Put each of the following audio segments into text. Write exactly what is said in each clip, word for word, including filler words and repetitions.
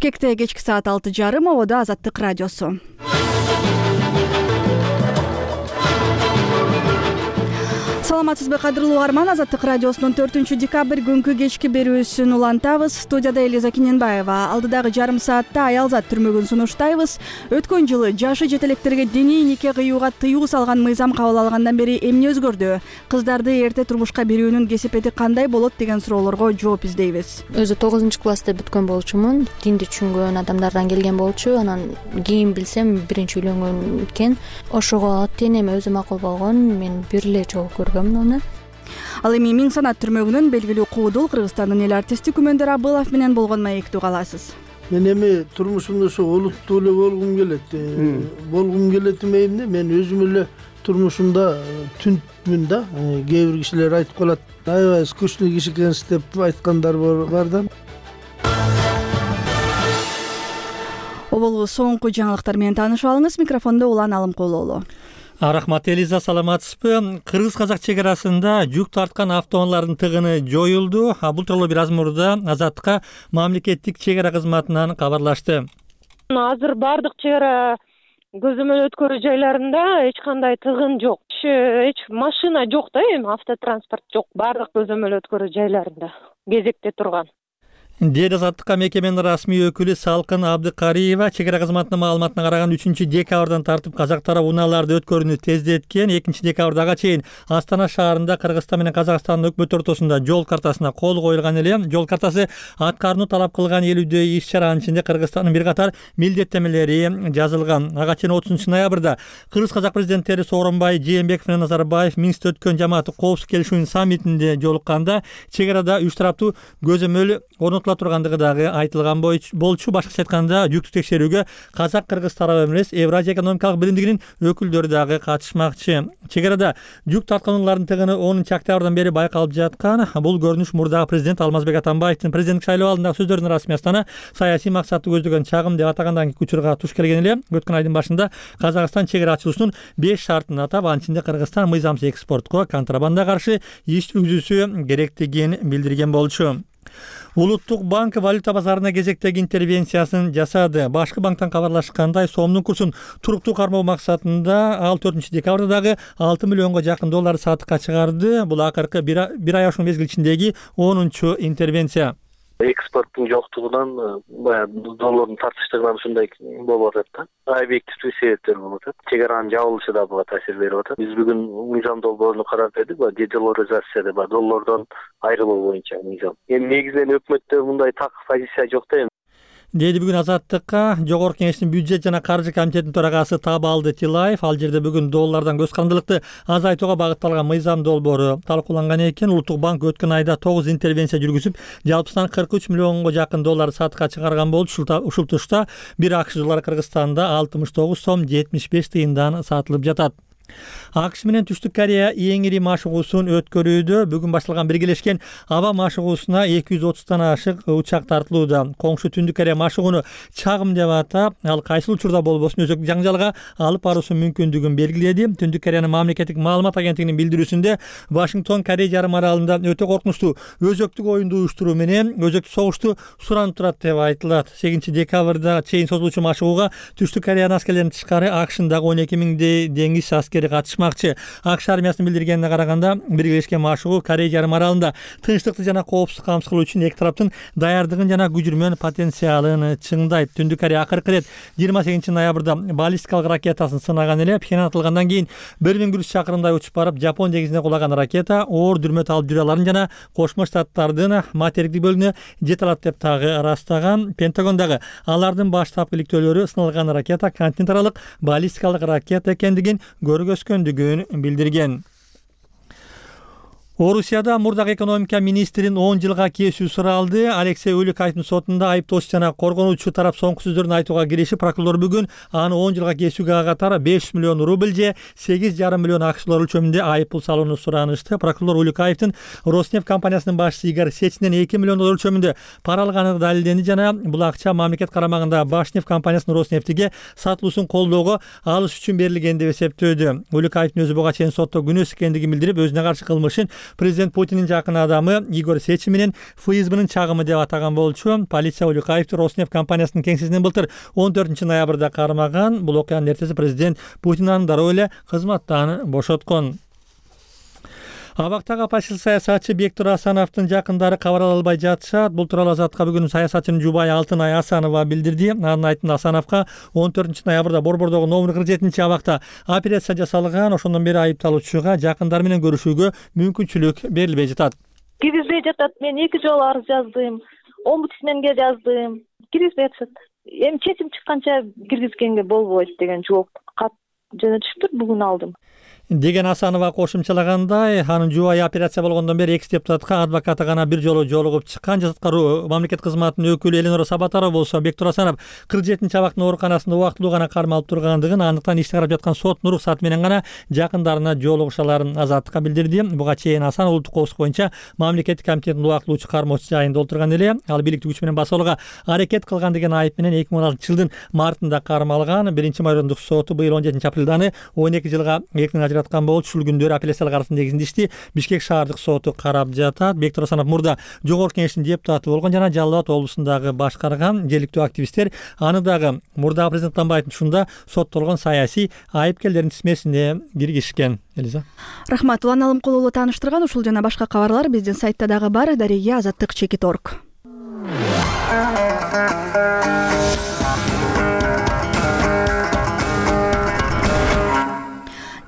Бишкекте кечки саат алты жарым ободо Азаттык радиосу. Саламатсызбы кадырлуу угарман, Азаттык радиосунун төртүнчү декабрь күнкү кечки берүүсүн улантабыз. Студияда Элиза Киненбаева. Алдыдагы жарым саатта аялзат түрмөгүн сунуштайбыз. Өткөн жылы жашы жетелектерге диний нике кыюуга тыюу салган мыйзам кабыл алгандан бери эмне өзгөрдү? Кыздарды эрте турмушка берүүнүн кесепети кандай болот деген суроолорго жооп издейбиз. Өзү тогузунчу класста бүткөн болчумун. Динди түшүнгөн адамдардан келген болчу. Анан кийин билсем биринчи үйлөнгөн экен. Ошого ата энем өзү макул болгон. Мен бир эле жолу көргөм. Ал эми Миң Санат түрмөгүнүн белгилүү куудул Кыргызстандын эл артисти Күмөндөр Абылов менен болгон маектүү каласыз. Мен эми турмушумда ошо олуттуу эле болгум келет. Болгум келет эмне? Мен өзүм эле турмушумда түнтмүн да. Кээ бир кишилер айтып калат, аябай скучный киши экенсиз деп айткандар бар да. Оболу соңку жаңылыктар менен таанышып алыңыз. Микрофондо Улан Алымкулуулу. Рахмат, Элиза, саламатсызбы? Кыргыз-казак чек арасында жүк тарткан автоунаалардын тыгыны жоюлду. Бул тууралуу бир аз мурда Азаттыкка мамлекеттик чек ара кызматынан кабарлашты. Азыр бардык чек ара көзөмөл өткөрүү жайларында эч кандай тыгын жок. Эч машина жок да, эми автотранспорт жок. Бардык көзөмөл өткөрүү жайларында кезекте турган. Деди Азаттыкка мекеменин расмий өкүлү Салкын Абдыкариева. Чек ара кызматынын маалыматына караганда үчүнчү декабрдан тартып казак тарап унааларды өткөрүүнү тездеткен. экинчи декабрдага чейин Астана шаарында Кыргызстан менен Казакстандын өкмөт ортосунда жол картасына кол коюлган эле. Жол картасы аткарууну талап кылган элүүдөй иш чаранын ичинде Кыргызстандын бир катар милдеттенмелери жазылган. Ага чейин отузунчу ноябрда Кыргыз-казак президенттери Сооронбай Жээнбеков менен Назарбаев Минскте өткөн жамааттык коопсуздук келишүүнүн саммитинде жолукканда чек арада үч тараптуу көзөмөл орнотулат тургандыгы дагы айтылган болчу. Башкача айтканда, жүктү текшерүүгө казак-кыргыз тарабы эмес, Евразия экономикалык биримдигинин өкүлдөрү дагы катышмакчы. Чек арада жүк тарткан унаалардын тыгыны онунчу октябрдан бери байкалып жаткан. Бул көрүнүш мурдагы президент Алмазбек Атамбаевдин президенттик шайлоо алдындагы сөздөрүнүн расмий астана саясий максатты көздөгөн чагым деп атагандан кийин учурга туш келген эле. Өткөн айдын башында Казакстан чек ара ачылуусунун беш шартын атап, анын ичинде Кыргызстан мыйзамсыз экспортко, контрабандага каршы иш жүргүзүүсү керектигин билдирген болчу. Улуттук банк валюта базарына кезектеги интервенциясын жасады. Башкы банктан кабарлашкандай, сомдун курсун туруктуу кармоо максатында ал төртүнчү декабрда дагы алты миллионго жакын доллар сатыкка чыгарды. Бул акыркы бир ай ашуун мезгил ичиндеги онунчу интервенция. Экспорттун жоктугунан, баягы доллардын тартыштыгынан ушундай болуп атат да. Объективдүү себептер болуп атат. Чек аранын жабылышы да буга таасир берип атат. Биз бүгүн мыйзам долбоорун карап бердик, баягы дедоларизация деп, доллардан айрылуу боюнча мыйзам. Эми негизинен өкмөттө мындай так позиция жок да. Деди бүгүн Азаттыкка Жогорку Кеңештин бюджет жана каржы комитетинин төрагасы Табалды Тилаев. Ал жерде бүгүн доллардан көз карандылыкты азайтууга багытталган мыйзам долбоору талкууланган экен. Улуттук банк өткөн айда тогуз интервенция жүргүзүп, жалпысынан кырк үч миллионго жакын доллар сатыкка чыгарган болчу. Ушул тушта бир акш доллары Кыргызстанда алтымыш тогуз сом жетимиш беш тыйындан сатылып жатат. АКШ менен Түштүк Корея эң ири машыгуусун өткөрүүдө. Бүгүн башталган биргелешкен аба машыгуусуна эки жүз отуздан ашык учак тартылууда. Коңшу Түндүк Корея машыгууну чагым деп атап, ал кайсыл учурда болбосун өзөктүк жаңжалга алып баруусу мүмкүндүгүн белгиледи. Түндүк Кореянын мамлекеттик маалымат агенттигинин билдирүүсүндө Вашингтон Корей жарым аралында өтө коркунучтуу өзөктүк оюнду уюштуруу менен өзөктүк согушту суранып турат деп айтылат. сегизинчи декабрда чейин созулуучу машыгууга Түштүк Кореянын аскерлеринин тышкары АКШындагы он эки миңдей деңиз аскери катышмакчы. АКШ армиясынын билдиргенине караганда, биргелешкен машыгуу Корей жарым аралында тынчтыкты жана коопсуздук камсыз кылуу үчүн эки тараптын даярдыгын жана күжүрмөн потенциалын чыңдайт. Түндүк Корея акыркы ирет жыйырма сегизинчи ноябрда баллистикалык ракетасын сынаган эле. Пхеньян атылгандан кийин бир миң бир жүз чакырымдай учуп барып, Жапон деңизине кулаган ракета оор дүрмөт алып жүрө аларын жана Кошмо Штаттардын материктик бөлүгүнө жете алат деп дагы ырастаган. Пентагондагы алардын баштапкы иликтөөлөрү сыналган ракета континент аралык баллистикалык ракета экендигин көргөзгөндүгүн билдирген. Орусияда мурдагы экономика министрин он жылга кесүү суралды. Алексей Улюкаевдин сотунда айыптоочу жана коргонуучу тарап соңку сөздөрүн айтууга киришип, прокурор бүгүн аны он жылга кесүүгө катар беш жүз миллион рубль же сегиз жарым миллион акш доллары өлчөмүндө айыппул салууну суранышты. Прокурор Улюкаевдин Роснефть компаниясынын башчысы Игорь Сечинден эки миллион доллар өлчөмүндө пара алганы далилденди жана бул акча мамлекет карамагында Башнефть компаниясынын Роснефтиге сатылуусун колдоого алыш үчүн берилген деп эсептөөдү. Улюкаевдин өзү буга чейин сотто күнөөсүз экендигин билдирип, өзүнө каршы кылмышын Президент Путиндин жакын адамы Игорь Сечин менен ФСБнын чагымы деп атаган болчу. Полиция Улюкаевди Роснефть компаниясынын кеңсесинен былтыр он төртүнчү ноябрда кармаган. Бул окуянын эртеси президент Путин аны дароо эле кызматтан бошоткон. Абактагы оппозиция саясатчы Бектур Асановдун жакындары кабар ала албай жатышат. Бул тууралуу Азатка бүгүн саясатчынын жубайы Алтынай Асанова билдирди. Анын айтымында Асановго он төртүнчү ноябрда Борбордогу номер кырк жетинчи абакта операция жасалган. Ошондон бери айыпталуучуга жакындары менен көрүшүүгө мүмкүнчүлүк берилбей жатат. Киргизбей жатат. Мен эки жолу арыз жаздым. Омбудсменге жаздым. Киргизбей жатышат. Эми чечим чыкканча киргизгенге болбойт деген жооп кат жөнөтүшүптүр. Бүгүн алдым деген Асанова кошумчалагандай, анын жубайы операция болгондон бери экс депутатка адвокаты гана бир жолу жолугуп чыккан. Жазаткаруу мамлекет кызматынын өкүлү Эленора Сабатарова болсо Бектур Асанов кырк жетинчи абактын ооруканасында убактылуу гана кармалып тургандыгын, андыктан ишти карап жаткан соттун уруксаты менен гана жакындарына жолугушаларын Азаттыкка билдирди. Буга чейин Асанов улуттук коопсуздук боюнча мамлекеттик комитеттин убактылуучу кармоочу жайында отурган эле. Ал бийликтик күч менен басууга аракет кылган деген айып менен эки миң он алтынчы жылдын мартында кармалган. Биринчи майорундук соту быйыл он жетинчи апрелде аны он эки жылга эркинен ажыраткан болчу. Ушул күндөрү апелляциялык арыздын негизинде ишти Бишкек шаардык соту карап жатат. Бектур Асанов мурда Жогорку Кеңештин депутаты болгон жана Жалал Абад облусундагы башкарган. Жергиликтүү активисттер аны дагы мурдагы президент Атамбаевдин ушунда соттолгон саясий айыпкерлердин тизмесине киргизишкен. Элиза. Рахмат. Улан Алымкулуулу тааныштырган ушул жана башка кабарлар биздин сайтта дагы бар. Дареге азаттык чекит точка орг.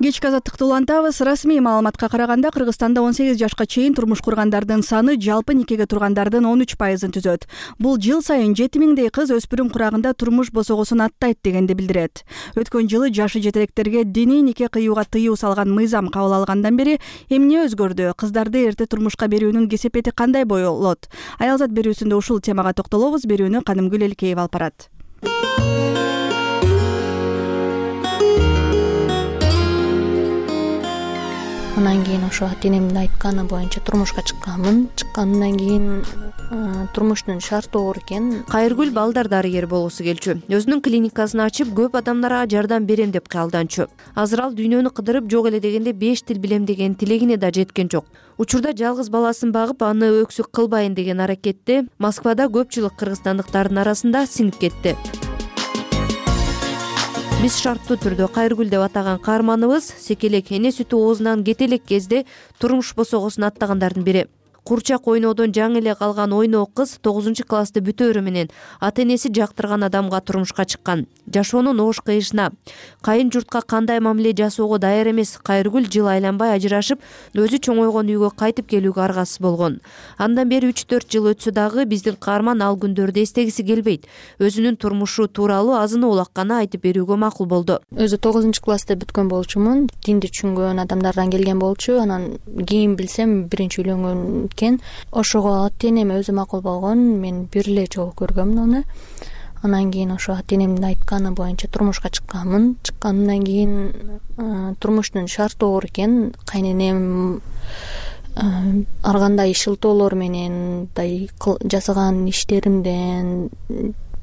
Кечки азаттыкты улантабыз. Расмий маалыматка караганда Кыргызстанда он сегиз жашка чейин турмуш кургандардын саны жалпы никеге тургандардын он үч пайызын түзөт. Бул жыл сайын жети миңдей кыз өспүрүм курагында турмуш босогосун аттайт дегенди билдирет. Өткөн жылы жашы жетелектерге диний нике кыюуга тыюу салган мыйзам кабыл алгандан бери эмне өзгөрдү? Кыздарды эрте турмушка берүүнүн кесепети кандай болот? Аялзат берүүсүндө ушул темага токтолобуз. Берүүнү Канымгүл Элкеева алып барат. Анан кийин ошо ата энемдин айтканы боюнча турмушка чыкканмын. Чыккандан кийин турмуштун шарты оор экен. Кайыргүл балдар дарыгер болгусу келчү. Өзүнүн клиникасын ачып, көп адамдарга жардам берем деп кыялданчу. Азыр ал дүйнөнү кыдырып, жок эле дегенде беш тил билем деген тилегине да жеткен жок. Учурда жалгыз баласын багып, аны өксүк кылбайын деген аракетте Москвада көпчүлүк кыргызстандыктардын арасында сиңип кетти. Биз шарттуу түрдө Кайыргүл деп атаган каарманыбыз секелек эне сүтү оозунан кете элек кезде турмуш босогосун аттагандардын бири. Курчак ойноодон жаңы эле калган ойноо кыз тогузунчу классты бүтөөрү менен ата энеси жактырган адамга турмушка чыккан. Жашоонун оош кыйышына, кайын журтка кандай мамиле жасоого даяр эмес Кайыргүл жыл айланбай ажырашып, өзү чоңойгон үйгө кайтып келүүгө аргасыз болгон. Андан бери үч төрт жыл өтсө дагы биздин каарман ал күндөрдү эстегиси келбейт. Өзүнүн турмушу тууралуу азыны улакканы айтып берүүгө макул болду. Өзү тогузунчу класста бүткөн болчумун. Динди түшүнгөн адамдардан келген болчу. Анан кийин билсем биринчи үйлөнгөн экен. Ошого ата энем өзү макул болгон. Мен бир эле жолу көргөмүн аны. Анан кийин ошо ата энемдин айтканы боюнча турмушка чыкканмын. Чыккандан кийин турмуштун шарты оор экен. Кайненем ар кандай шылтоолор менен жасаган иштеримден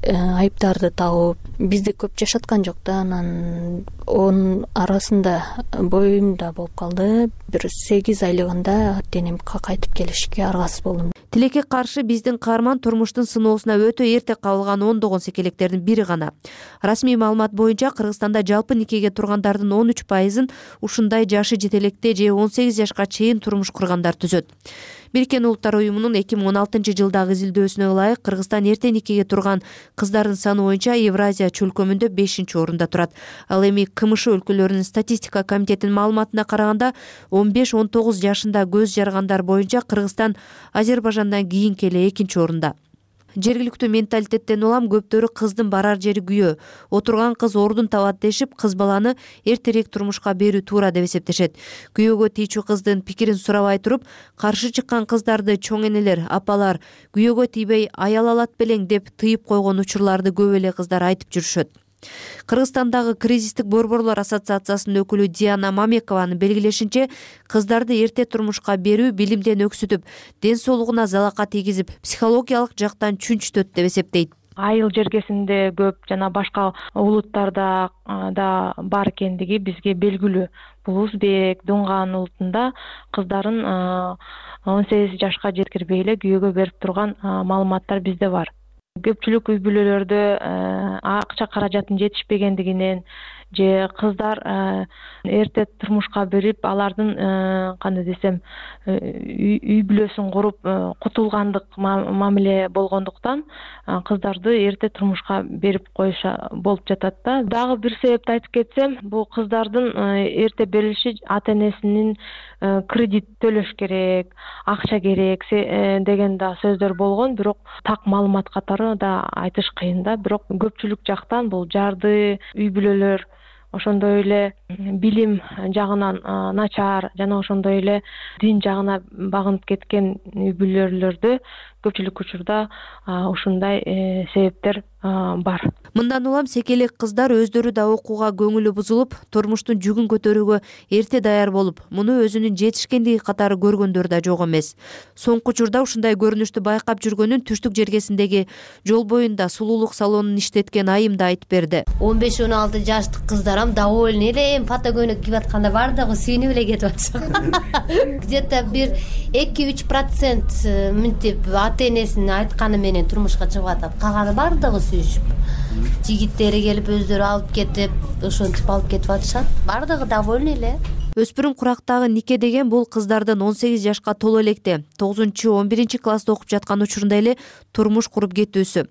айыптарды табып, бизди көп жашаткан жок да. Анан онун арасында боюм да болуп калды. Бир сегиз айлыгында ата энем кайтып келишке аргасыз болдум. Тилекке каршы биздин каарман турмуштун сыноосуна өтө эрте кабылган ондогон секелектердин бири гана. Расмий маалымат боюнча Кыргызстанда жалпы никеге тургандардын он үч пайызын ушундай жашы жетелекте же он сегиз жашка чейин турмуш кургандар түзөт. Бириккен Улуттар уюмунун эки миң он алтынчы жылдагы изилдөөсүнө ылайык Кыргызстан эрте никеге турган кыздардын саны боюнча Евразия чөлкөмүндө бешинчи орунда турат. Ал эми КМШ өлкөлөрүнүн статистика комитетинин маалыматына караганда он беш он тогуз жашында көз жаргандар боюнча Кыргызстан Азербайжандан кийинки эле экинчи орунда. Жергиликтүү менталитеттен улам көптөрү кыздын барар жери күйөө, отурган кыз ордун табат дешип, кыз баланы эртерээк турмушка берүү туура деп эсептешет. Күйөөгө тийчү кыздын пикирин сурабай туруп, каршы чыккан кыздарды чоң энелер, апалар күйөөгө тийбей аял алат белең деп тыйып койгон учурларды көп эле кыздар айтып жүрүшөт. Кыргызстандагы кризистик борборлор ассоциациясынын өкүлү Диана Мамекованын белгилешинче, кыздарды эрте турмушка берүү билимден өксүтүп, ден соолугуна залака тийгизип, психологиялык жактан чүнчүтөт деп эсептейт. айыл жергесинде көп жана башка улуттарда да бар экендиги бизге белгилүү. Бул узбек, дунган улутунда кыздарын он сегиз жашка жеткирбей эле күйөөгө берип турган маалыматтар бизде бар. Көпчүлүк үй бүлөлөрдө акча каражатын жетишпегендигинен же кыздар эрте турмушка берип, алардын кандай десем, үй бүлөсүн куруп кутулгандык мамиле болгондуктан кыздарды эрте турмушка берип коюша болуп жатат да. Дагы бир себепти айтып кетсем, бул кыздардын эрте берилиши ата-энесинин кредит төлөш керек, акча керек деген да сөздөр болгон, бирок так маалымат катары да айтыш кыйын да. Бирок көпчүлүк жактан бул жарды үй бүлөлөр, ошондой эле билим жагынан начар жана ошондой эле дин жагына багынып кеткен үй бүлөлөрдө көпчүлүк учурда ушундай себептер бар. Мындан улам секелек кыздар өздөрү да окууга көңүлү бузулуп, турмуштун жүгүн көтөрүүгө эрте даяр болуп, муну өзүнүн жетишкендиги катары көргөндөр да жок эмес. Соңку учурда ушундай көрүнүштү байкап жүргөнүн түштүк жергесиндеги жол боюнда сулуулук салонун иштеткен айым да айтып берди. он беш он алты жаштык кыздарам довольны эле, эми фото көйнөк кийип атканда баардыгы сүйүнүп эле кетип атышат. Где-то бир эки үч процент мынтип ата-энесинин айтканы менен турмушка чыгып атат. Калганы баардыгы сүйүшүп. Жигиттери келип өздөрү алып кетип, ошентип алып кетип атышат. Баардыгы довольны эле. Өспүрүм курактагы нике деген бул кыздардын он сегиз жашка толо электе тогузунчу он биринчи класста окуп жаткан учурунда эле турмуш куруп кетүүсү.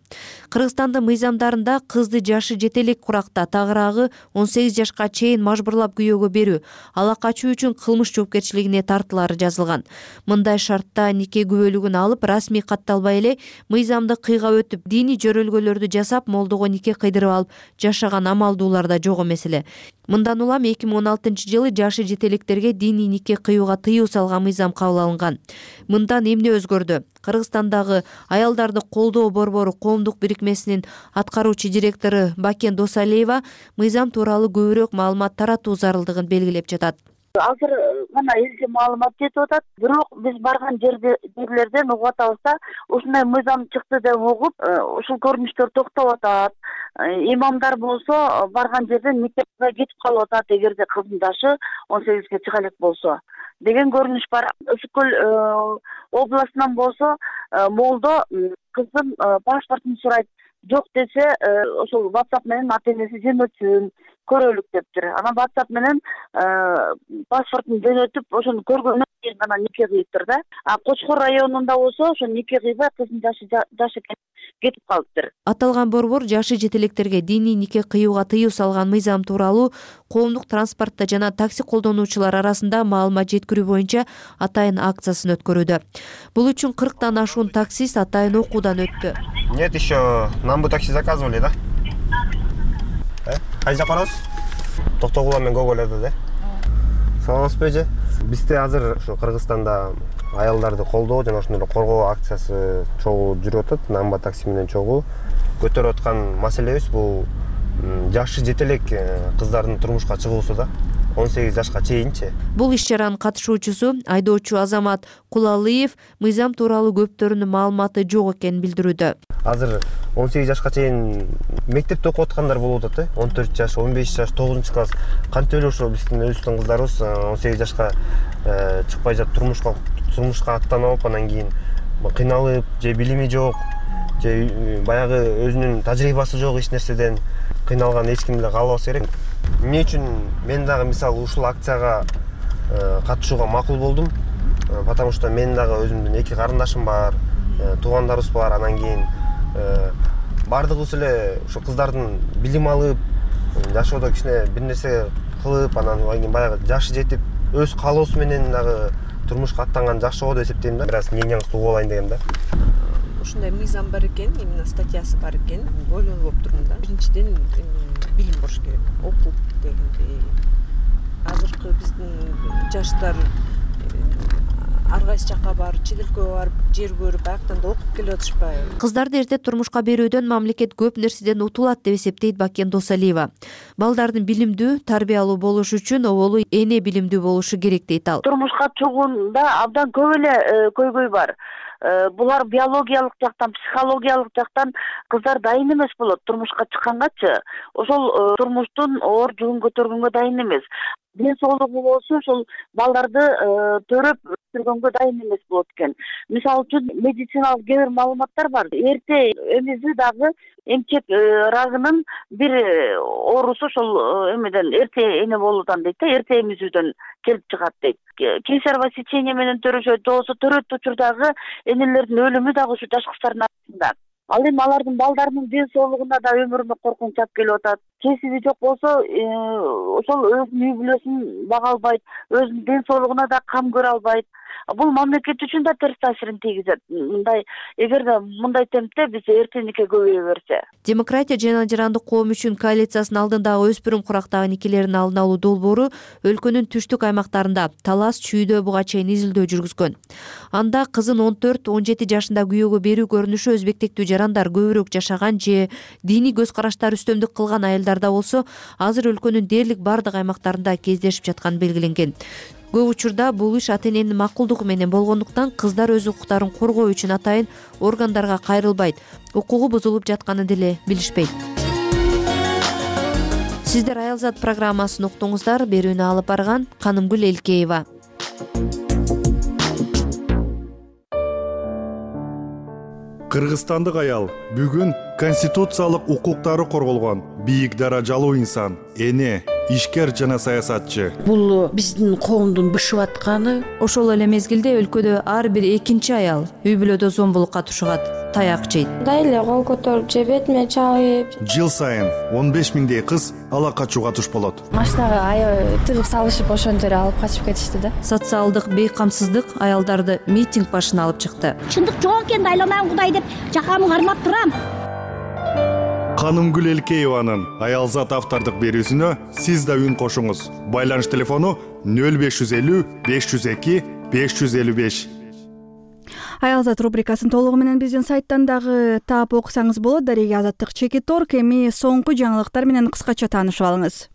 Кыргызстандын мыйзамдарында кызды жашы жете элек куракта, тагыраагы он сегиз жашка чейин мажбурлап күйөөгө берүү, ала качуу үчүн кылмыш жоопкерчилигине тартылары жазылган. Мындай шартта нике күбөлүгүн алып, расмий катталбай эле мыйзамды кыйгап өтүп, диний жөрөлгөлөрдү жасап, молдого нике кыйдырып алып жашаган амалдуулар да жок эмес эле. Мындан улам эки миң он алтынчы жылы жашы жетелектерге диний нике кыюуга тыюу салган мыйзам кабыл алынган. Мындан эмне өзгөрдү? Кыргызстандагы аялдарды колдоо борбору коомдук бирикмесинин аткаруучу директору Бакен Досалиева мыйзам тууралуу көбүрөөк маалымат таратуу зарылдыгын белгилеп жатат. Азыр гана элчи маалымат жетип атат, бирок биз барган жерде жерлерден угуп атабыз да, ушундай мыйзам чыкты деп угуп, ушул көрүнүштөр токтоп атат. Имамдар болсо барган жерден никеге кетип калып атат, эгерде кыздын жашы он сегизге чыга элек болсо деген көрүнүш бар. Ысык көл областынан болсо молдо кыздын паспортун сурайт, жок десе ошол WhatsApp менен ата-энеси жөнөтсүн, көрөлүк дептир. Анан WhatsApp менен паспортун жөнөтүп, ошону көргөндөн кийин гана нике кыйыптыр да. А Кочкор районунда болсо ошо нике кыйбай кыздын жашы жашы кетип калыптыр. Аталган борбор жашы жетелектерге диний нике кыюуга тыюу салган мыйзам тууралуу коомдук транспортто жана такси колдонуучулар арасында маалымат жеткирүү боюнча атайын акциясын өткөрүүдө. Бул үчүн кырктан ашуун таксист атайын окуудан өттү. Нет, еще нам бы такси заказывали, да? Кайда барабыз? Токтогула менен Гоголерде, да? Саламатсызбы эже? Бизде азыр ушу Кыргызстанда аялдарды колдоо жана ошондой коргоо акциясы чогуу жүрүп атат. Намба такси менен чогуу көтөрүп аткан маселебиз бул жашы жетелек кыздардын турмушка чыгуусу да. он сегиз жашка чейинчи. Бул иш-чаранын катышуучусу айдоочу Азамат Кулалыев мыйзам тууралуу көптөрүнүн маалыматы жок экенин билдирүүдө. Азыр он сегиз жашка чейин мектепте окуп аткандар болуп атат, э? он төрт жаш, он беш жаш, тогузунчу класс. Кантип эле ошо биздин өзүбүздүн кыздарыбыз он сегиз жашка чыкпай жатып турмушка турмушка аттанып, анан кийин кыйналып, же билими жок, же баягы өзүнүн тажрыйбасы жок эч нерседен кыйналган эч ким эле каалабаса керек. Эмне үчүн мен дагы мисалы ушул акцияга катышууга макул болдум? Потому что мен дагы өзүмдүн эки карындашым бар, туугандарыбыз бар, анан кийин баардыгыбыз эле ушу кыздардын билим алып, жашоодо кичине бир нерсе кылып, анан кийин баягы жашы жетип, өз каалоосу менен дагы турмушка аттанган жакшы болот деп эсептейм да. Бир аз мненияңызды угуп алайын дегем да. Ушундай мыйзам бар экен, именно статьясы бар экен, ойлонуп болуп турдум да. Биринчиден билим болуш керек, окуп дегендей. Азыркы биздин жаштар ар кайсы жакка барып, чет өлкөгө барып, жер көрүп, аяктан да окуп келип атышпайбы? Кыздарды эрте турмушка берүүдөн мамлекет көп нерседен утулат деп эсептейт Бакен Досалиева. Балдардын билимдүү, тарбиялуу болушу үчүн оболу эне билимдүү болушу керек дейт ал. Турмушка чыгуунда абдан көп эле көйгөй бар. булар биологиялык жактан, психологиялык жактан кыздар дайын эмес болот турмушка чыккангачы. Ошол турмуштун оор жүгүн көтөргөнгө дайын эмес. Ден соолугу болсо ошол балдарды төрөп өстүргөнгө дайын эмес болот экен. Мисалы үчүн медициналык кээ бир маалыматтар бар. Эрте эмизи дагы эмчек рагынын бир оорусу ошол эмеден эрте эне болуудан дейт да, эрте эмизүүдөн келип чыгат дейт. Кесарево сечение менен төрөшөт, болсо төрөт учурдагы энелердин өлүмү дагы ушу жаш кыздардын арасында. Ал эми алардын балдарынын ден соолугуна да өмүрүнө коркунуч алып келип атат. Кесиби жок болсо, ошол өзүнүн үй бүлөсүн бага албайт, өзүнүн ден соолугуна да кам көрө албайт. Бул мамлекет үчүн да терс таасирин тийгизет. Мындай эгерде мындай темпте биз эрте нике көбөйө берсе. Демократия жана жарандык коом үчүн коалициясынын алдындагы өспүрүм курактагы никелердин алдын алуу долбоору өлкөнүн түштүк аймактарында Талас, Чүйдө буга чейин изилдөө жүргүзгөн. Анда кызын он төрт он жети жашында күйөөгө берүү көрүнүшү өзбектиктүү жарандар көбүрөөк жашаган же диний көз караштар үстөмдүк кылган айылдарда болсо, азыр өлкөнүн дээрлик бардык аймактарында кездешип жатканы белгиленген. Көп учурда бул иш ата-эненин макулдугу менен болгондуктан кыздар өз укуктарын коргоо үчүн атайын органдарга кайрылбайт, укугу бузулуп жатканын деле билишпейт. Сиздер Аялзат программасын уктуңуздар. Берүүнү алып барган Канымгүл Элкеева. Кыргызстандык аял бүгүн конституциялык укуктары корголгон бийик даражалуу инсан, эне, ишкер жана саясатчы. Бул биздин коомдун бышып атканы. Ошол эле мезгилде өлкөдө ар бир экинчи аял үй бүлөдө зомбулукка тушугат, таяк жейт. Дайле кол көтөрүп же бетиме чабып. Жыл сайын он беш миңдей кыз ала качууга туш болот. Машинага аябай тыгып салышып ошондо эле алып качып кетишти да. Социалдык бейкамсыздык аялдарды митинг башына алып чыкты. Чындык жок экен, айланам Кудай деп жакамы кармап турам. Канымгүл Элкееванын Аялзат автордук берүүсүнө сиз да үн кошуңуз. Байланыш телефону нөл беш жүз элүү беш жүз эки беш жүз элүү беш. Аялзат рубрикасын толугу менен биздин сайттан дагы таап окусаңыз болот. Дареги Азаттык Чекиторг. Эми соңку жаңылыктар менен кыскача таанышып алыңыз.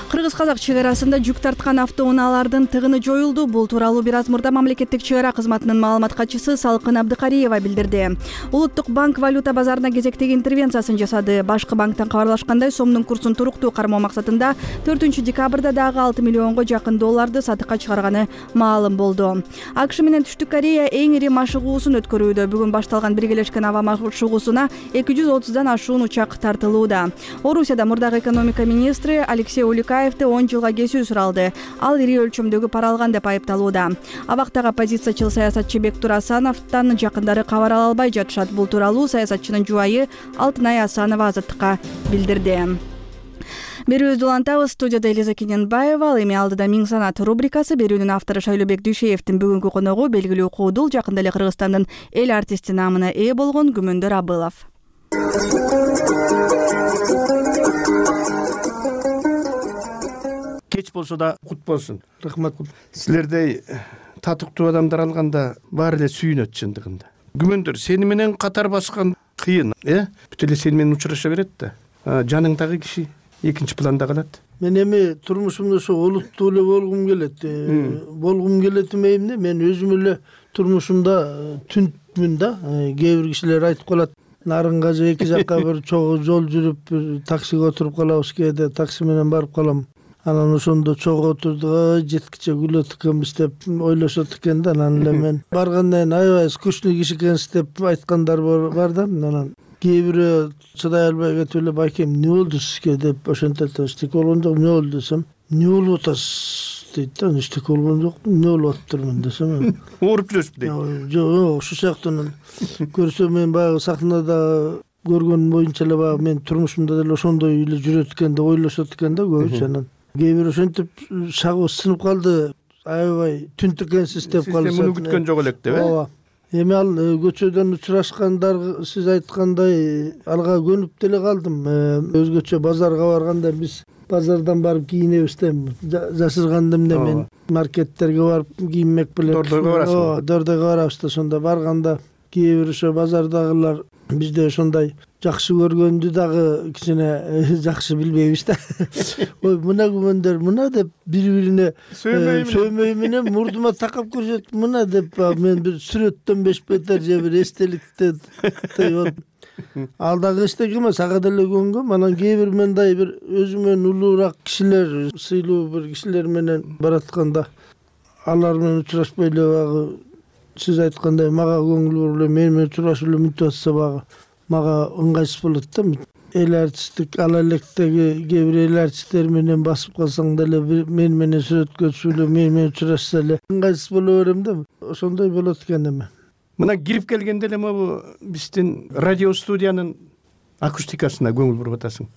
Кыргыз-казак чек арасында жүк тарткан автоунаалардын тыгыны жоюлду. Бул тууралуу бир аз мурда мамлекеттик чек ара кызматынын маалымат катчысы Салкын Абдыкариева билдирди. Улуттук банк валюта базарына кезектеги интервенциясын жасады. Башкы банктан кабарлашкандай, сомдун курсун туруктуу кармоо максатында төртүнчү декабрда дагы алты миллионго жакын долларды сатыкка чыгарганы маалым болду. АКШ менен Түштүк Корея эң ири машыгуусун өткөрүүдө. Бүгүн башталган биргелешкен аба машыгуусуна эки жүз отуздан ашуун учак тартылууда. Орусияда мурдагы экономика министри Алексей Уликаев он жылга кесүү суралды. Ал ири өлчөмдөгү пара алган деп айыпталууда. Абактагы оппозициячыл саясатчы Бектур Асановдон жакындары кабар ала албай жатышат. Бул тууралуу саясатчынын жубайы Алтынай Асанова Азаттыкка билдирди. Берүүбүздү улантабыз. Студияда Элиза Кененбаева. Ал эми алдыда Миң санат рубрикасы. Берүүнүн автору Шайлообек Дүйшеевдин бүгүнкү коногу белгилүү куудул, жакында эле Кыргызстандын эл артисти наамына ээ болгон Күмөндөр Абылов. Кеч болсо да кут болсун. Рахмат. Силердей татыктуу адамдар алганда баары эле сүйүнөт чындыгында. Күмөндөр сени менен катар баскан кыйын, э? Бүт эле сени менен учураша берет да. Жаныңдагы киши экинчи планда калат. Мен эми турмушумда ошо олуттуу эле болгум келет. Болгум келет эмейм да. Мен өзүм эле турмушумда түнтмүн да. Кээ бир кишилер айтып калат, нарынга же эки жакка бир чогуу жол жүрүп, таксиге отуруп калабыз, кээде такси менен барып калам. Анан ошондо чогуу отурду, жеткиче күлөт экенбиз деп ойлошот экен да. Анан эле мен баргандан аябай скучный киши экенсиз деп айткандар бар да. Анан кээ бирөө чыдай албай кетип эле, байкем эмне болду сизге деп ошентет. Эчтеке болгон жок, эмне болду десем, эмне болуп атасыз дейт да. Эчтеке болгон жок, эмне болуп атыптырмын десем, ооруп жүрөсүз дейт. Жок, ошол сыяктуу көрсө мен баягы сахнада көргөн боюнча эле баягы мен турмушумда деле ошондой эле жүрөт экен деп ойлошот экен да көбүчө. Анан кээ бир ошентип шагыбыз сынып калды, аябай түнт экенсиз деп калышат. Сиз муну күткөн жок элек деп, э? Ооба. Эми ал көчөдөн учурашкандар сиз айткандай алга көнүп деле калдым. Өзгөчө базарга барганда биз базардан барып кийинебиз да, жашырганда эмне мен маркеттерге барып кийинмек белек. Дордойго барасыз. Ооба, дордойго барабыз да. Ошондо барганда кээ бир ошо базардагылар бизде ошондой жакшы көргөндү дагы кичине жакшы билбейбиз да. Ой, мына күмөндөр мына деп бири бирине сөөмөй менен мурдума такап көрүшөт мына деп мен бир сүрөттөн беш бетер же бир эстеликте ал дагы эчтеке эмес, ага деле көнгөм. Анан кээ бир мындай бир өзүмөн улуураак кишилер, сыйлуу бир кишилер менен баратканда алар менен учурашпай эле багы сиз айткандай мага көңүл буруп эле мени менен учурашып эле мынтип атса багы мага ыңгайсыз болот да. Эл артисттик ала электеги кээ бир эл артисттер менен басып калсаң деле мени менен сүрөткө түшүп эле мени менен учурашса эле ыңгайсыз боло берем да. Ошондой болот экен эми. Мына кирип келгенде эле могу биздин радио студиянын акустикасына көңүл буруп атасың.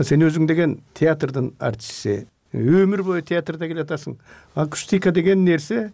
Сен өзүң деген театрдын артисти, өмүр бою театрда келатасың. Акустика деген нерсе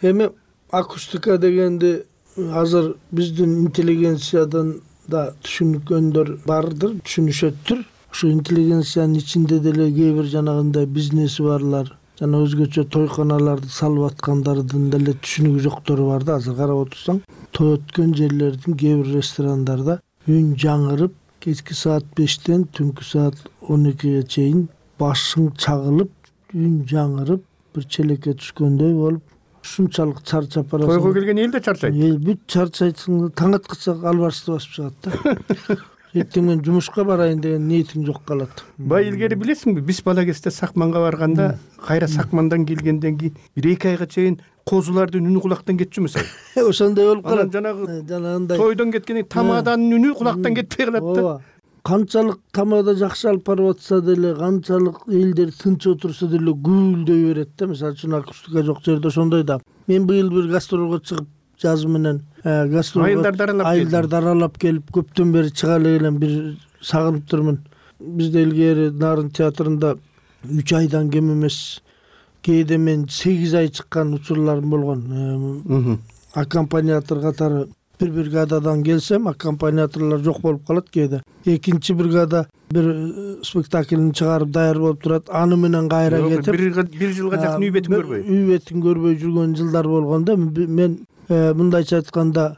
эми акустика дегенди азыр биздин интеллигенциядан да түшүнгөндөр бардыр, түшүнүшөттүр. Ошо интеллигенциянын ичинде деле кээ бир жанагындай бизнеси барлар, жана өзгөчө тойканаларды салып аткандардын деле түшүнүгү жоктору бар да. Азыр карап отурсаң, той өткөн жерлердин кээ бир ресторандарда үн жаңырып, кечки саат бештен түнкү саат он экиге чейин башың чагылып, үн жаңырып, бир челекке түшкөндөй болуп, ушунчалык чарчап барасың. Тойго келген эл да чарчайт. Эл бүт чарчайсың, таң аткача албарысты басып чыгат да. Эртең мен жумушка барайын деген ниетиң жок калат. Бай илгери билесиңби, биз бала кезде сакманга барганда, кайра сакмандан келгенден кийин бир эки айга чейин козулардын үнү кулактан кетчү эмес. Ошондой болуп калат. Жанагы жанагындай тойдон кеткенден тамаданын үнү кулактан кетпей калат да. Канчалык тамада жакшы алып барып атса деле, канчалык элдер тынч отурса деле гүлдөй берет да. Мисалы үчүн акустика жок жерде ошондой да. Мен быйыл бир гастролго чыгып жаз менен гастролго айылдарды аралап келип, көптөн бери чыга эле элем, бир сагынып турмун. Бизде илгери Нарын театрында үч айдан кем эмес, кээде мен сегиз ай чыккан учурларым болгон. Аккомпаниатор катары бир бригададан келсем, аккомпаниаторлор жок болуп калат кээде. Экинчи бригада бир спектакльни чыгарып даяр болуп турат, аны менен кайра кетип бир жылга жакын үй бетин көрбөй. Үй бетин көрбөй жүргөн жылдар болгон да. Мен мындайча айтканда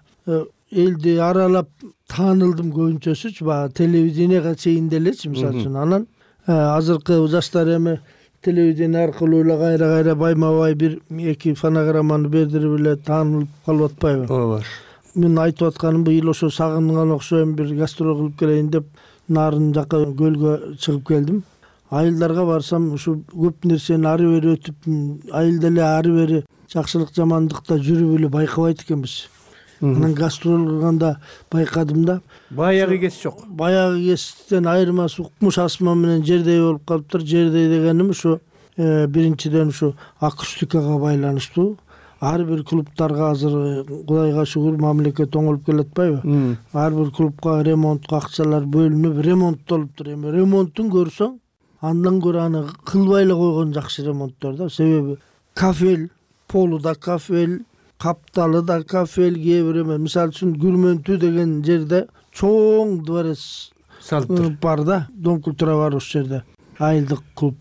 элди аралап таанылдым көбүнчөсүчү, баягы телевиденияга чейин делечи, мисалы үчүн. Анан азыркы жаштар эми телевидение аркылуу эле кайра-кайра байма-бай бир эки фонограмманы бердирип эле таанылып калып атпайбы? Ооба. Мен айтып атканым быйыл ошо сагынган окшойм, бир гастрол кылып келейин деп Нарын жака көлгө чыгып келдим. Айылдарга барсам, ушу көп нерсени ары бери өтүп, айылда эле ары бери жакшылык жамандыкта жүрүп эле байкабайт экенбиз. Анан гастрол кылганда байкадым да. Баягы кес жок. Баягы кестен айырмасы укмуш асман менен жердей болуп калыптыр. Жердей дегеним ушу биринчиден ушу акустикага байланыштуу. Ар бир клубтарга азыр Кудайга шүгүр мамлекет оңолуп келатпайбы? Ар бир клубка ремонтко акчалар бөлүнүп, ремонттолуптур. Эми ремонтун көрсөң, андан көрө аны кылбай эле койгон жакшы ремонттор да. Себеби кафель, полу да кафель, капталы да кафель, кээ бир эме. Мисалы үчүн Күрмөнтүү деген жерде чоң дворец салыптыр бар да. Дом культура бар ошол жерде. Айылдык клуб.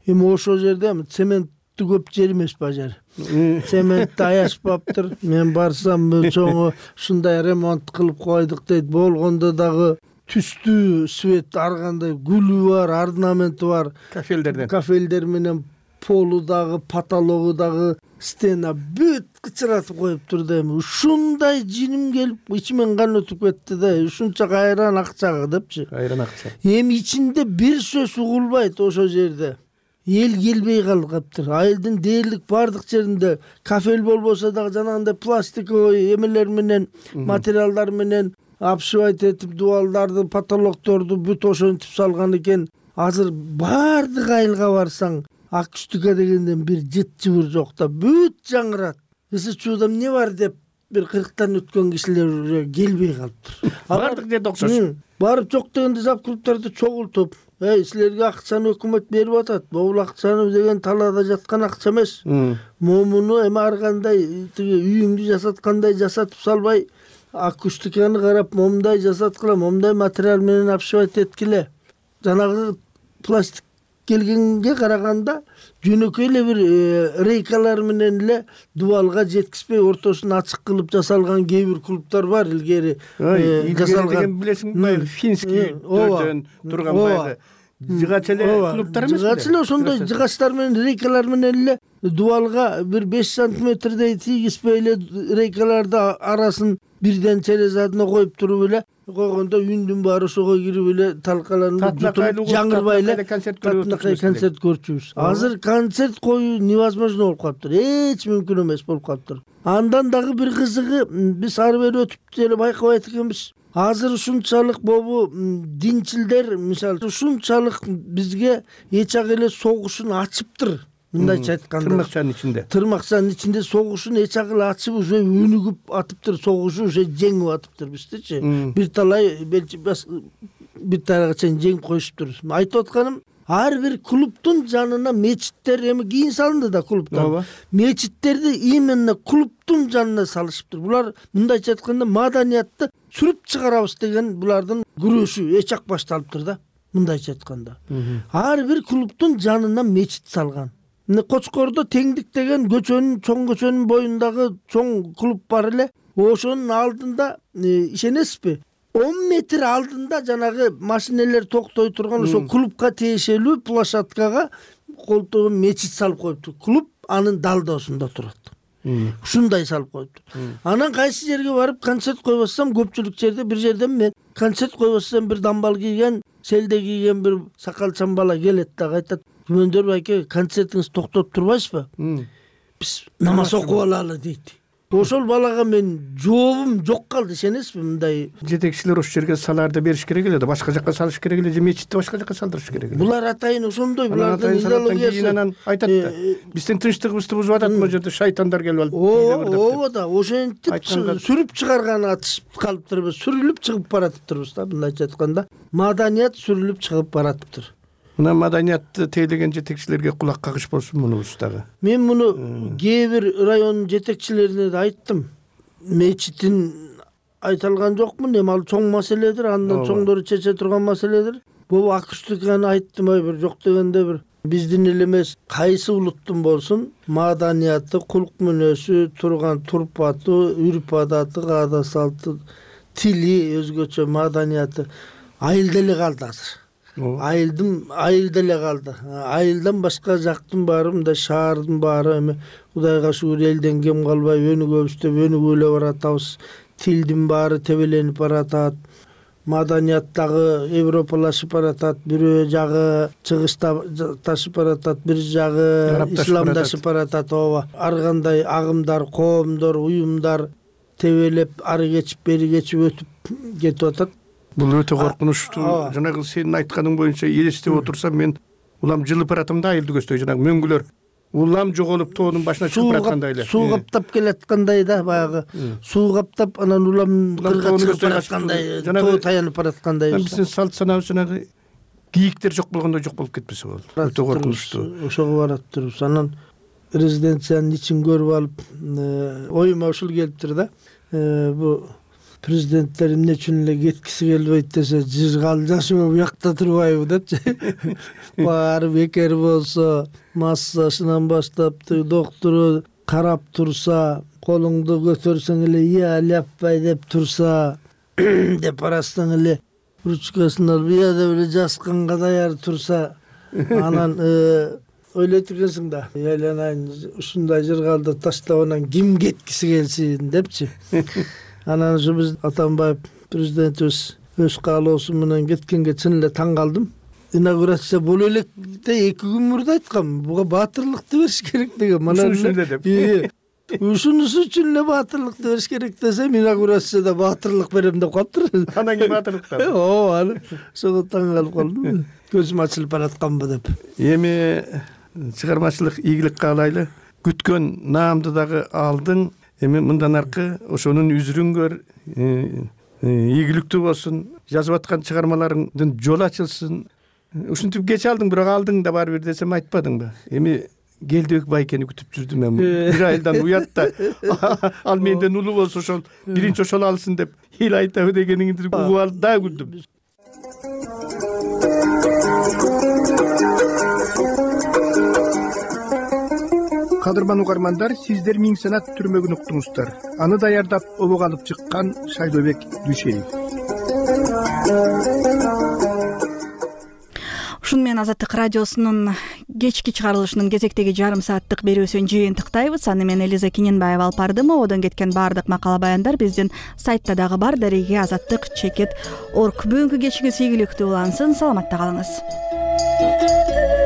Эми ошол жерде цемент көп жер эмес ба жер. Цементти аяшпаптыр. Мен барсам чоңу ушундай ремонт кылып койдук дейт. Болгондо дагы түстүү свет ар кандай гүлү бар, орнаменти бар. Кафелдерден. Кафелдер менен полу дагы, потологу дагы, стена бүт кычыратып коюптур да. Эми ушундай жиним келип, ичимен кан өтүп кетти да. Ушунча кайран акчага депчи. Кайран акча. Эми ичинде бир сөз угулбайт ошол жерде. Эл келбей калыптыр. Айылдын дээрлик бардык жеринде кафель болбосо дагы жанагындай пластиковый эмелер менен, материалдар менен обшивать этип, дубалдарды, потолокторду бүт ошентип салган экен. Азыр бардык айылга барсаң, акустика дегенден бир жыт жыбыр жок да, бүт жаңырат. Ысы чуудам эмне бар деп бир кырктан өткөн кишилер келбей калыптыр. Бардык жерде окшош. Барып жок дегенде зап клубтарды чогултуп, эй, силерге акчаны өкмөт берип атат. Бул акчаны деген талаада жаткан акча эмес. Момуну эми ар кандай тиги үйүңдү жасаткандай жасатып салбай, акустиканы карап, момундай жасаткыла, момундай материал менен обшивать эткиле. Жанагы пластик келгенге караганда жөнөкөй эле бир рейкалар менен эле дубалга жеткизбей ортосун ачык кылып жасалган кээ бир клубдар бар илгери жасалган. Билесиңби баягы финский дөйдөн турган баягы жыгач эле клубдар эмеспи? Жыгач эле ошондой жыгачтар менен рейкалар менен эле дубалга бир беш сантиметрдей тийгизбей эле рейкаларды арасын бирден через одно коюп туруп эле койгондо үндүн баары ошого кирип эле талкаланып jutulup жаңырбай эле концерт көрчүбүз. Азыр концерт коюу невозможно болуп калыптыр, эч мүмкүн эмес болуп калыптыр. Андан дагы бир кызыгы, биз ары бери өтүп деле байкабайт экенбиз. Азыр ушунчалык бобу динчилдер мисалы ушунчалык бизге эч ак эле согушун ачыптыр. Мындайча айтканда тырмакчанын ичинде тырмакчанын ичинде согушун эч ак эле ачып уже өнүгүп атыптыр, согушу уже жеңип атыптыр биздичи. Бир талай бир талайга чейин жеңип коюшуптур. Айтып атканым, ар бир клубдун жанына мечиттер эми кийин салынды да клубтар. Мечиттерди именно клубдун жанына салышыптыр. Булар мындайча айтканда маданиятты сүрүп чыгарабыз деген булардын күрөшү эч ак башталыптыр да. Мындайча айтканда. Ар бир клубдун жанына мечит салган. Кочкордо Теңдик деген көчөнүн, чоң көчөнүн боюндагы чоң клуб бар эле. Ошонун алдында ишенесизби? он метр алдында жанагы машинелер токтой турган ошо клубка тиешелүү площадкага колтугун мечит салып коюптур. Клуб анын далдоосунда турат. Ушундай салып коюптур. Анан кайсы жерге барып концерт койбосом, көпчүлүк жерде бир жерден мен концерт койбосом бир дамбал кийген, селде кийген бир сакалчан бала келет да айтат: "Күмөндөр байке, концертиңизди токтотуп турбайсызбы? Биз намаз окуп алалы" дейт. Ошол балага мен жообум жок калды, ишенесизби? Мындай жетекчилер ошол жерге саларды бериш керек эле да, башка жакка салыш керек эле же мечитти башка жакка салдырыш керек эле. Булар атайын ошондой, булардын идеологиясы. Анан айтат да, биздин тынчтыгыбызды бузуп атат, могу жерде шайтандар келип алып. Ооба да, ошентип сүрүп чыгарганы атышып калыптырбыз, сүрүлүп чыгып баратыптырбыз да, мындайча айтканда. Маданият сүрүлүп чыгып баратыптыр. Мына маданиятты тейлеген жетекчилерге кулак кагыш болсун мунубуз дагы. Мен муну кээ бир районун жетекчилерине да айттым. Мечитин айта алган жокмун, эми ал чоң маселедир, андан чоңдору чече турган маселедир. Бул акустиканы айттым, ой бир жок дегенде бир биздин эл эмес, кайсы улуттун болсун маданияты, кулк мүнөзү, турган турпаты, үрп адаты, каада салты, тили, өзгөчө маданияты айылда эле калды азыр. Айылдын айылда эле калды. Айылдан башка жактын баары, мындай шаардын баары эми Кудайга шүгүр элден кем калбай өнүгөбүз деп өнүгүп эле баратабыз. Тилдин баары тебеленип баратат. Маданият дагы европалашып баратат. Бирөө жагы чыгышташып баратат, бир жагы исламдашып баратат. Ооба. Ар кандай агымдар, коомдор, уюмдар тебелеп ары кечип, бери кечип өтүп кетип атат. Бул өтө коркунучтуу. Жанагы сенин айтканың боюнча элестеп отурсам, мен улам жылып баратам да айылды көздөй, жанагы мөңгүлөр улам жоголуп тоонун башына чыгып бараткандай эле. Суу каптап келаткандай да, баягы суу каптап анан улам кырга чыгып бараткандай, тоо таянып бараткандай. Биздин салт санабыз жанагы кийиктер жок болгондой жок болуп кетпесе болот. Өтө коркунучтуу. Ошого бараттырбыз. Анан резиденциянын ичин көрүп алып, оюма ушул келиптир да. Бу президенттер эмне үчүн эле кеткиси келбейт десе, жыргал жашоо буякта турбайбы депчи. Баары бекер болсо, массасынан баштап доктору карап турса, колуңду көтөрсөң эле ия ляппай деп турса, деп арасынан эле ручкасын алып ия деп эле жазганга даяр турса, анан ойлойт экенсиң да, айланайын ушундай жыргалды таштап анан ким кеткиси келсин депчи. Анан ушу биз Атамбаев президентибиз өз каалоосу менен кеткенге чын эле таң калдым. Инаугурация боло элек де эки күн мурда айткам, буга баатырлыкты бериш керек деген. Мана ушун эле деп. Ушунусу үчүн эле баатырлыкты бериш керек десем, инаугурацияда баатырлык берем деп калыптыр. Анан кийин баатырлыктан. Ооба, ошого таң калып калдым. Көзүм ачылып баратканбы деп. Эми чыгармачылык ийгилик каалайлы. Күткөн наамды дагы алдың. Эми мындан аркы ошонун үзүрүн көр, ийгиликтүү болсун, жазып аткан чыгармаларыңдын жолу ачылсын. Ушинтип кеч алдың, бирок алдың да бар бир десем айтпадыңбы? Эми Келдибек байкени күтүп жүрдүм мен. Бир айдан уят да. Ал менден улуу болсо ошол биринчи ошол алсын деп эл айтабы дегениңди угуп алып да күлдүм. кадырман угармандар, сиздер миң санат түрмөгүн уктуңуздар. Аны даярдап обого алып чыккан Шайлообек Дүйшеев. Ушуну менен Азаттык радиосунун кечки чыгарылышынын кезектеги жарым сааттык берүүсүн жыйынтыктайбыз. Аны мен Элиза Киненбаева алып бардым. Ободон кеткен баардык макала баяндар биздин сайтта дагы бар. Дареге азаттык чекит орг. Бүгүнкү кечиңиз ийгиликтүү улансын. Саламатта калыңыз.